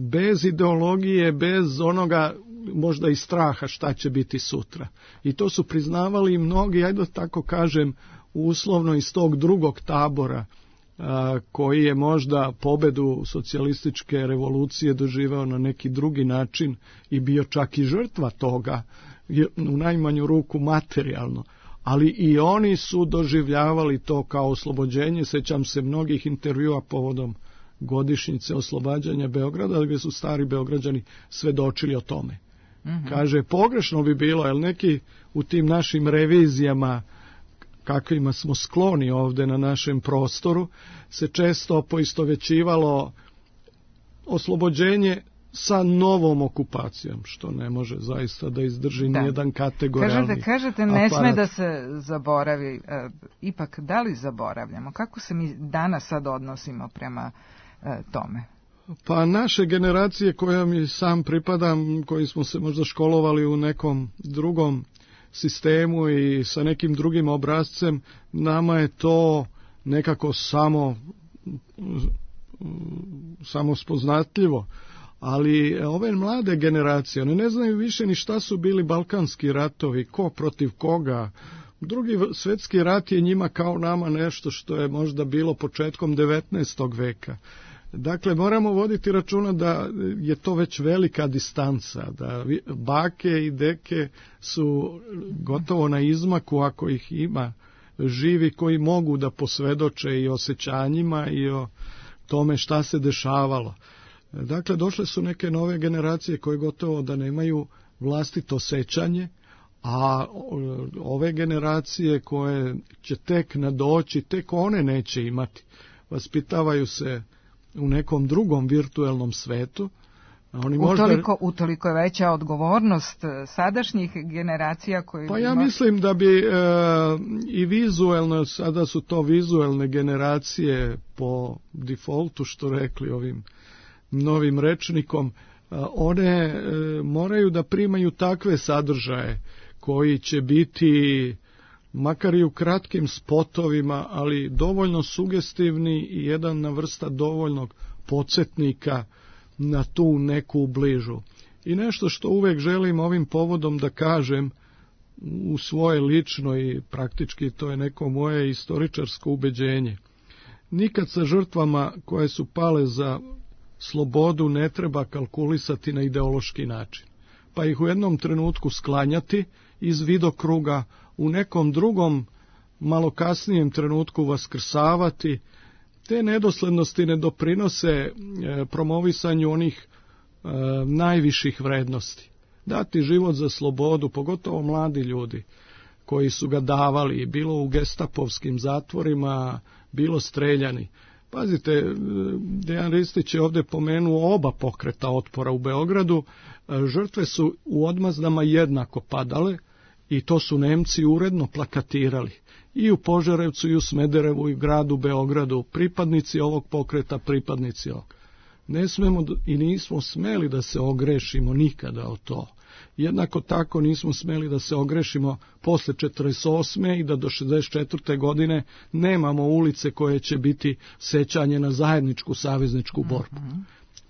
Bez ideologije, bez onoga možda i straha šta će biti sutra. I to su priznavali i mnogi, ajde da tako kažem, uslovno iz tog drugog tabora koji je možda pobedu socijalističke revolucije doživeo na neki drugi način i bio čak i žrtva toga, u najmanju ruku materijalno. Ali i oni su doživljavali to kao oslobođenje. Sećam se mnogih intervjua povodom godišnjice oslobađanja Beograda, gdje su stari Beograđani svedočili o tome. Mm-hmm. Kaže, pogrešno bi bilo, jer neki u tim našim revizijama, kakvima smo skloni ovde na našem prostoru, se često poistovećivalo oslobođenje sa novom okupacijom, što ne može zaista da izdrži da. nijedan kategorijalni kažete, kažete, ne sme da se zaboravi. E, ipak, da li zaboravljamo? Kako se mi danas sad odnosimo prema e, tome? Pa naše generacije koja mi sam pripadam, koji smo se možda školovali u nekom drugom sistemu i sa nekim drugim obrazcem, nama je to nekako samo samo spoznatljivo. Ali ove mlade generacije, one ne znaju više ni šta su bili balkanski ratovi, ko protiv koga. Drugi svjetski rat je njima kao nama nešto što je možda bilo početkom devetnaestog veka. Dakle, moramo voditi računa da je to već velika distanca, da bake i deke su gotovo na izmaku, ako ih ima živi koji mogu da posvedoče i o osjećanjima i o tome šta se dešavalo. Dakle, došle su neke nove generacije koje gotovo da nemaju vlastito sećanje, a ove generacije koje će tek nadoći, tek one neće imati. Vaspitavaju se u nekom drugom virtuelnom svetu. Oni možda... utoliko, utoliko je veća odgovornost sadašnjih generacija koji... Pa ja ima... mislim da bi e, i vizuelno, sada su to vizuelne generacije po defaultu, što rekli ovim novim rečnikom, one e, moraju da primaju takve sadržaje koji će biti makar i u kratkim spotovima, ali dovoljno sugestivni i jedna vrsta dovoljnog podsjetnika na tu neku bližu. I nešto što uvek želim ovim povodom da kažem u svoje lično i praktički to je neko moje istoričarsko ubeđenje. Nikad sa žrtvama koje su pale za slobodu ne treba kalkulisati na ideološki način, pa ih u jednom trenutku sklanjati iz vidokruga, u nekom drugom, malo kasnijem trenutku vaskrsavati. Te nedoslednosti ne doprinose e, promovisanju onih e, najviših vrednosti. Dati život za slobodu, pogotovo mladi ljudi koji su ga davali, bilo u gestapovskim zatvorima, bilo streljani. Pazite, Dejan Ristić je ovdje pomenuo oba pokreta otpora u Beogradu. Žrtve su u odmazdama jednako padale i to su Nemci uredno plakatirali. I u Požarevcu, i u Smederevu, i u gradu Beogradu. Pripadnici ovog pokreta, pripadnici ovog. Ne smemo i nismo smeli da se ogrešimo nikada o to. Jednako tako nismo smeli da se ogrešimo posle četrdeset osme i da do šezdeset četvrte godine nemamo ulice koje će biti sećanje na zajedničku savezničku borbu.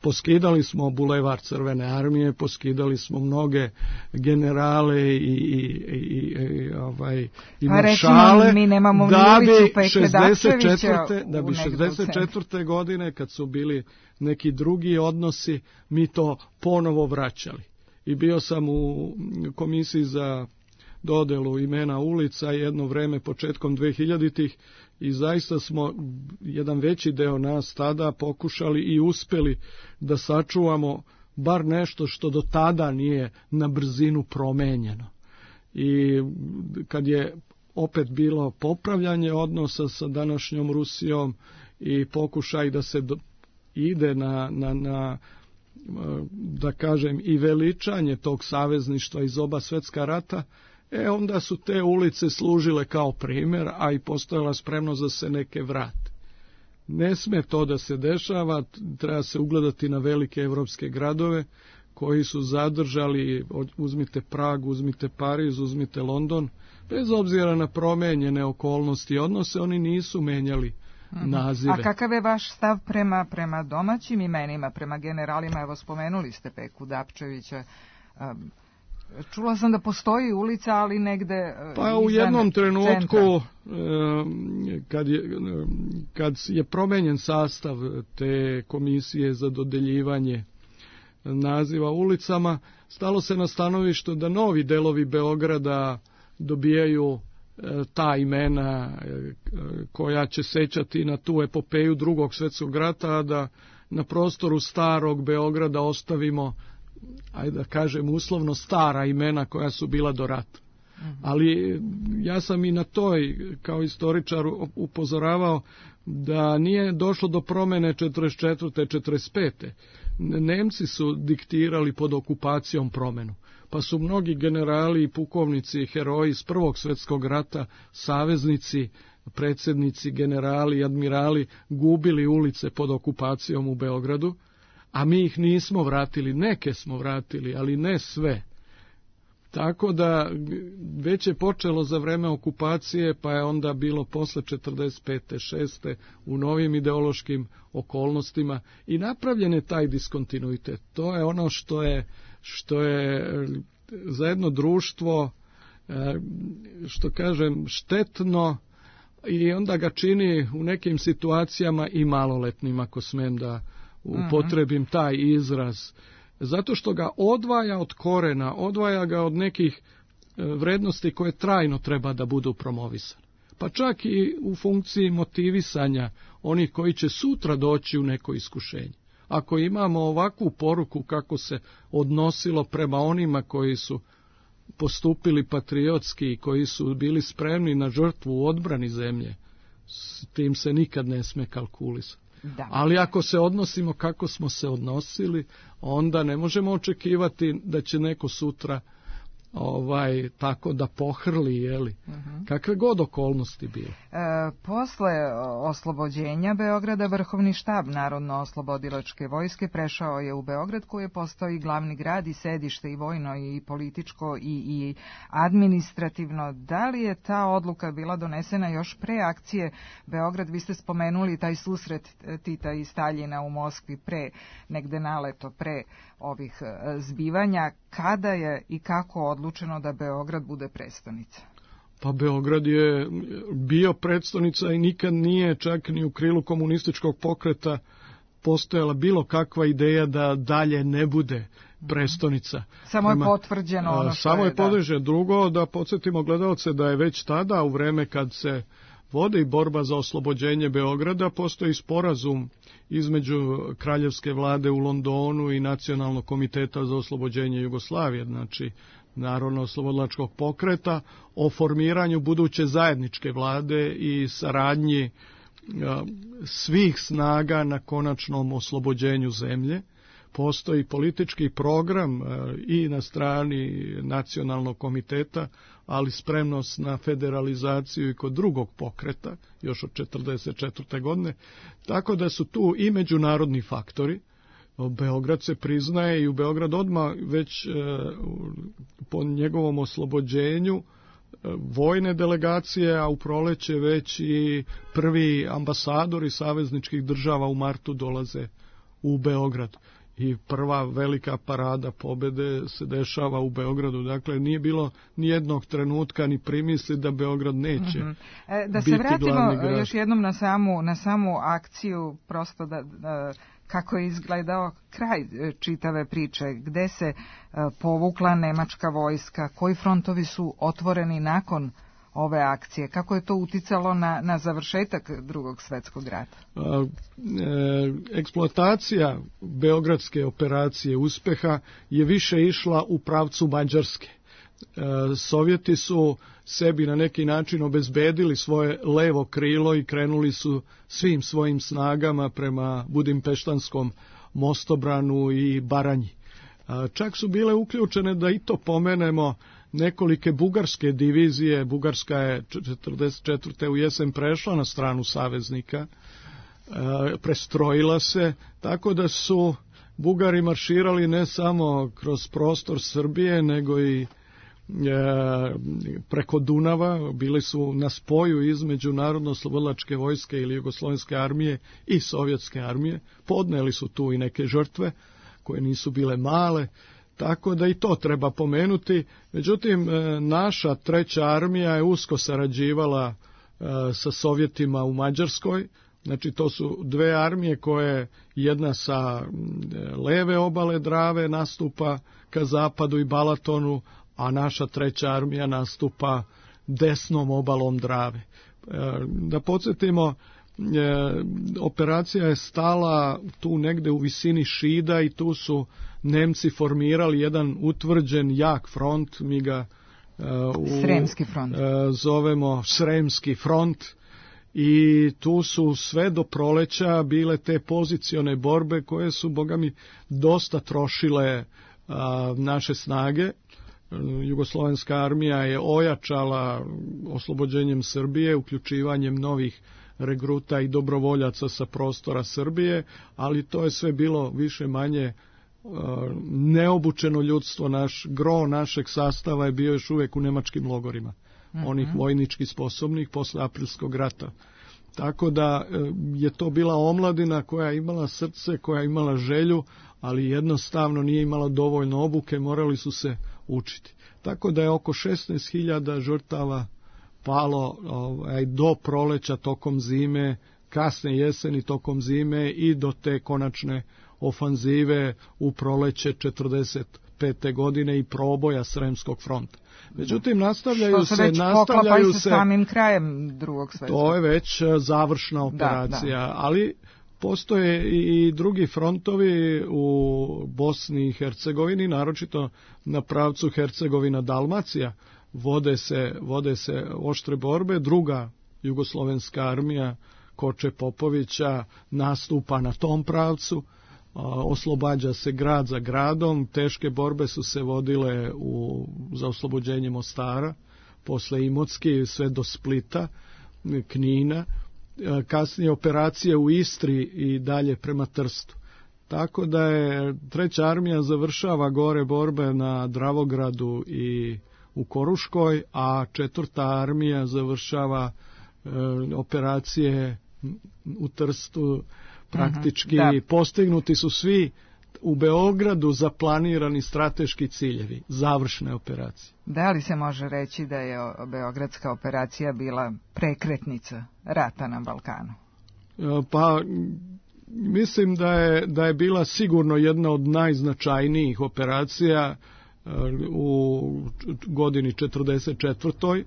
Poskidali smo bulevar Crvene armije, poskidali smo mnoge generale i, i, i, i, ovaj, i maršale, mi nemamo da bi šezdeset četvrte da bi šezdeset četvrte godine, kad su bili neki drugi odnosi, mi to ponovo vraćali. I bio sam u komisiji za dodelu imena ulica jedno vreme početkom dvehiljaditih i zaista smo jedan veći deo nas tada pokušali i uspeli da sačuvamo bar nešto što do tada nije na brzinu promenjeno. I kad je opet bilo popravljanje odnosa sa današnjom Rusijom i pokušaj da se do, ide na, na, na da kažem i veličanje tog savezništva iz oba svjetska rata, e onda su te ulice služile kao primjer, a i postojala spremnost da se neke vrate. Ne sme to da se dešava, treba se ugledati na velike evropske gradove koji su zadržali, uzmite Prag, uzmite Pariz, uzmite London, bez obzira na promenjene okolnosti i odnose, oni nisu menjali nazive. A kakav je vaš stav prema, prema domaćim imenima, prema generalima? Evo, spomenuli ste Peku Dapčevića. Čula sam da postoji ulica, ali negde pa u jednom trenutku kad je, kad je promenjen sastav te komisije za dodeljivanje naziva ulicama, stalo se na stanovište da novi delovi Beograda dobijaju ta imena koja će sećati na tu epopeju Drugog svjetskog rata, a da na prostoru starog Beograda ostavimo, ajde da kažem uslovno, stara imena koja su bila do rata. Mm-hmm. Ali ja sam i na toj kao istoričar upozoravao da nije došlo do promene četrdeset četvrte četrdeset pete Nemci su diktirali pod okupacijom promenu, pa su mnogi generali i pukovnici, heroji iz Prvog svjetskog rata, saveznici, predsjednici, generali, admirali gubili ulice pod okupacijom u Beogradu, a mi ih nismo vratili, neke smo vratili, ali ne sve. Tako da već je počelo za vreme okupacije, pa je onda bilo posle četrdeset pete šeste u novim ideološkim okolnostima i napravljen je taj diskontinuitet. To je ono što je, što je za jedno društvo, što kažem, štetno i onda ga čini u nekim situacijama i maloletnim, ako smem da upotrebim taj izraz. Zato što ga odvaja od korena, odvaja ga od nekih vrednosti koje trajno treba da budu promovisane. Pa čak i u funkciji motivisanja onih koji će sutra doći u neko iskušenje. Ako imamo ovakvu poruku kako se odnosilo prema onima koji su postupili patriotski i koji su bili spremni na žrtvu u odbrani zemlje, s tim se nikad ne sme kalkulisati. Da. Ali ako se odnosimo kako smo se odnosili, onda ne možemo očekivati da će neko sutra ovaj tako da pohrli, jeli, uh-huh. kakve god okolnosti bile. E, posle oslobođenja Beograda, Vrhovni štab Narodno-oslobodilačke vojske prešao je u Beograd, koji je postao i glavni grad i sedište i vojno i političko i, i administrativno. Da li je ta odluka bila donesena još pre akcije Beograd? Vi ste spomenuli taj susret Tita i Staljina u Moskvi pre, negde naleto, pre ovih zbivanja. Kada je i kako odlučeno da Beograd bude prestonica? Pa Beograd je bio prestonica i nikad nije, čak ni u krilu komunističkog pokreta, postojala bilo kakva ideja da dalje ne bude prestonica. Samo je potvrđeno ono što Samo je, je potvrđeno. Drugo, da podsjetimo gledalce da je već tada, u vreme kad se vodi borba za oslobođenje Beograda, postoji sporazum između kraljevske vlade u Londonu i Nacionalnog komiteta za oslobođenje Jugoslavije, znači Narodno-oslobodilačkog pokreta, o formiranju buduće zajedničke vlade i saradnji svih snaga na konačnom oslobođenju zemlje. Postoji politički program i na strani Nacionalnog komiteta, ali spremnost na federalizaciju i kod drugog pokreta, još od četrdeset četvrte godine, tako da su tu i međunarodni faktori. Beograd se priznaje i u Beograd odmah već e, po njegovom oslobođenju e, vojne delegacije, a u proleće već i prvi ambasadori savezničkih država u martu dolaze u Beograd. I prva velika parada pobede se dešava u Beogradu. Dakle, nije bilo ni jednog trenutka ni primisli da Beograd neće mm-hmm. e, da biti se vratimo glavni grad. Još jednom na samu, na samu akciju, prosto da, da kako je izgledao kraj čitave priče, gde se uh, povukla nemačka vojska, koji frontovi su otvoreni nakon ove akcije, kako je to uticalo na, na završetak Drugog svjetskog rata? A, e, eksploatacija beogradske operacije uspeha je više išla u pravcu Mađarske. E, Sovjeti su sebi na neki način obezbedili svoje levo krilo i krenuli su svim svojim snagama prema Budimpeštanskom mostobranu i Baranji. A, čak su bile uključene, da i to pomenemo, nekolike bugarske divizije. Bugarska je četrdeset četvrte u jesen prešla na stranu saveznika, e, prestrojila se, tako da su Bugari marširali ne samo kroz prostor Srbije, nego i e, preko Dunava. Bili su na spoju između Narodno-oslobodilačke vojske ili Jugoslovenske armije i Sovjetske armije. Podneli su tu i neke žrtve koje nisu bile male. tako da i to treba pomenuti. Međutim, naša treća armija je usko sarađivala sa Sovjetima u Mađarskoj. Znači, to su dve armije koje jedna sa leve obale Drave nastupa ka zapadu i Balatonu, a naša treća armija nastupa desnom obalom Drave. Da podsjetimo, operacija je stala tu negde u visini Šida i tu su Nemci formirali jedan utvrđen jak front, mi ga u, Sremski front. zovemo Sremski front, i tu su sve do proleća bile te pozicione borbe koje su, boga mi, dosta trošile a, naše snage. Jugoslovenska armija je ojačala oslobođenjem Srbije, uključivanjem novih regruta i dobrovoljaca sa prostora Srbije, ali to je sve bilo više manje uh, neobučeno ljudstvo. Naš gro našeg sastava je bio još uvijek u nemačkim logorima, mm-hmm. onih vojnički sposobnih posle Aprilskog rata. Tako da je to bila omladina koja je imala srce, koja je imala želju, ali jednostavno nije imala dovoljno obuke, morali su se učiti. Tako da je oko šesnaest hiljada žrtava palo ovaj, do proleća tokom zime, kasne jeseni tokom zime i do te konačne ofanzive u proleće četrdeset pete godine i proboja Sremskog fronta. Međutim, nastavljaju se, se već nastavljaju se se samim krajem drugog svjetskog. To je već završna operacija, da, da. Ali postoje i drugi frontovi u Bosni i Hercegovini, naročito na pravcu Hercegovina-Dalmacija. Vode se, vode se oštre borbe. Druga jugoslovenska armija Koče Popovića nastupa na tom pravcu, oslobađa se grad za gradom. Teške borbe su se vodile u, za oslobođenje Mostara, posle Imotske sve do Splita, Knina, kasnije operacije u Istri i dalje prema Trstu. Tako da je treća armija završava gore borbe na Dravogradu i u Koruškoj, a četvrta armija završava e, operacije u Trstu. Praktički uh-huh, postignuti su svi u Beogradu zaplanirani strateški ciljevi, završne operacije. Da li se može reći da je beogradska operacija bila prekretnica rata na Balkanu? Pa mislim da je, da je bila sigurno jedna od najznačajnijih operacija u godini četrdeset četvrtoj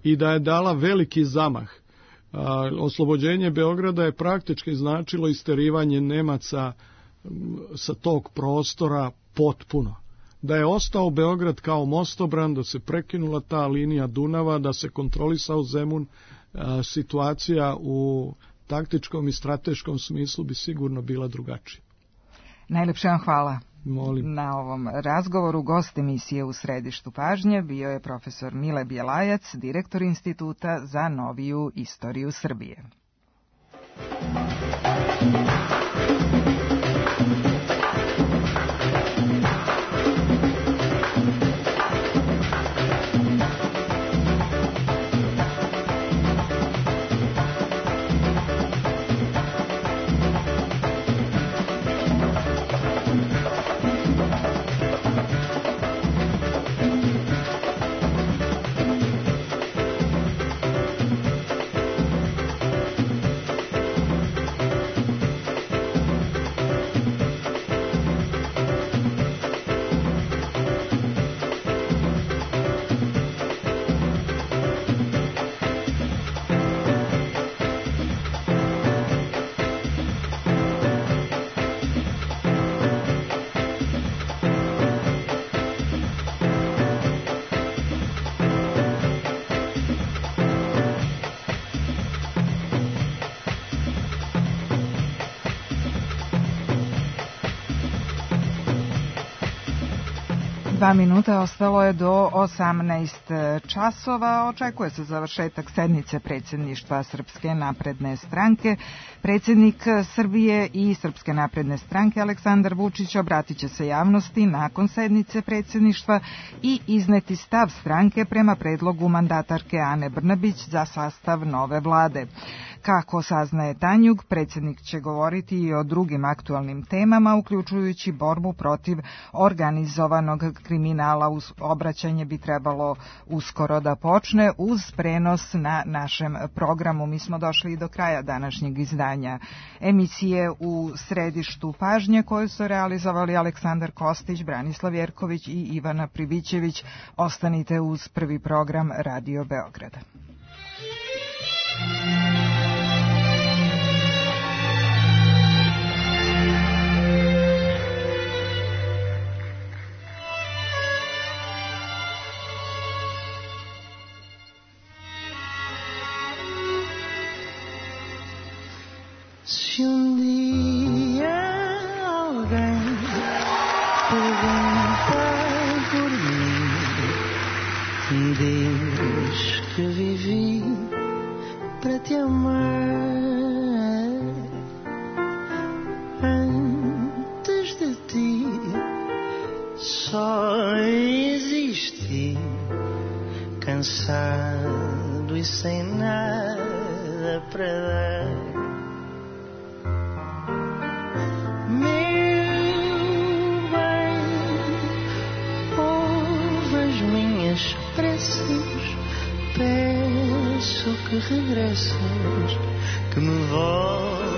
i da je dala veliki zamah. Oslobođenje Beograda je praktički značilo isterivanje Nemaca sa tog prostora potpuno. Da je ostao Beograd kao mostobran, da se prekinula ta linija Dunava, da se kontrolisao Zemun, situacija u taktičkom i strateškom smislu bi sigurno bila drugačija. Najlepše vam hvala. Molim. Na ovom razgovoru gost emisije U središtu pažnje bio je profesor Mile Bjelajac, direktor Instituta za noviju istoriju Srbije. Dva minuta ostalo je do osamnaest časova. Očekuje se završetak sednice predsjedništva Srpske napredne stranke. Predsjednik Srbije i Srpske napredne stranke Aleksandar Vučić obratit će se javnosti nakon sednice predsjedništva i izneti stav stranke prema predlogu mandatarke Ane Brnabić za sastav nove vlade. Kako saznaje Tanjug, predsjednik će govoriti i o drugim aktualnim temama, uključujući borbu protiv organizovanog kriminala. Obraćanje bi trebalo uskoro da počne uz prenos na našem programu. Mi smo došli do kraja današnjeg izdanja emisije U središtu pažnje, koju su realizovali Aleksandar Kostić, Branislav Jerković i Ivana Pribićević. Ostanite uz prvi program Radio Beograda. Se um dia alguém perguntar por mim, diz que vivi para te amar. Antes de ti só existi, cansado e sem nada para dar. Preces, peço que regresses, que me voltes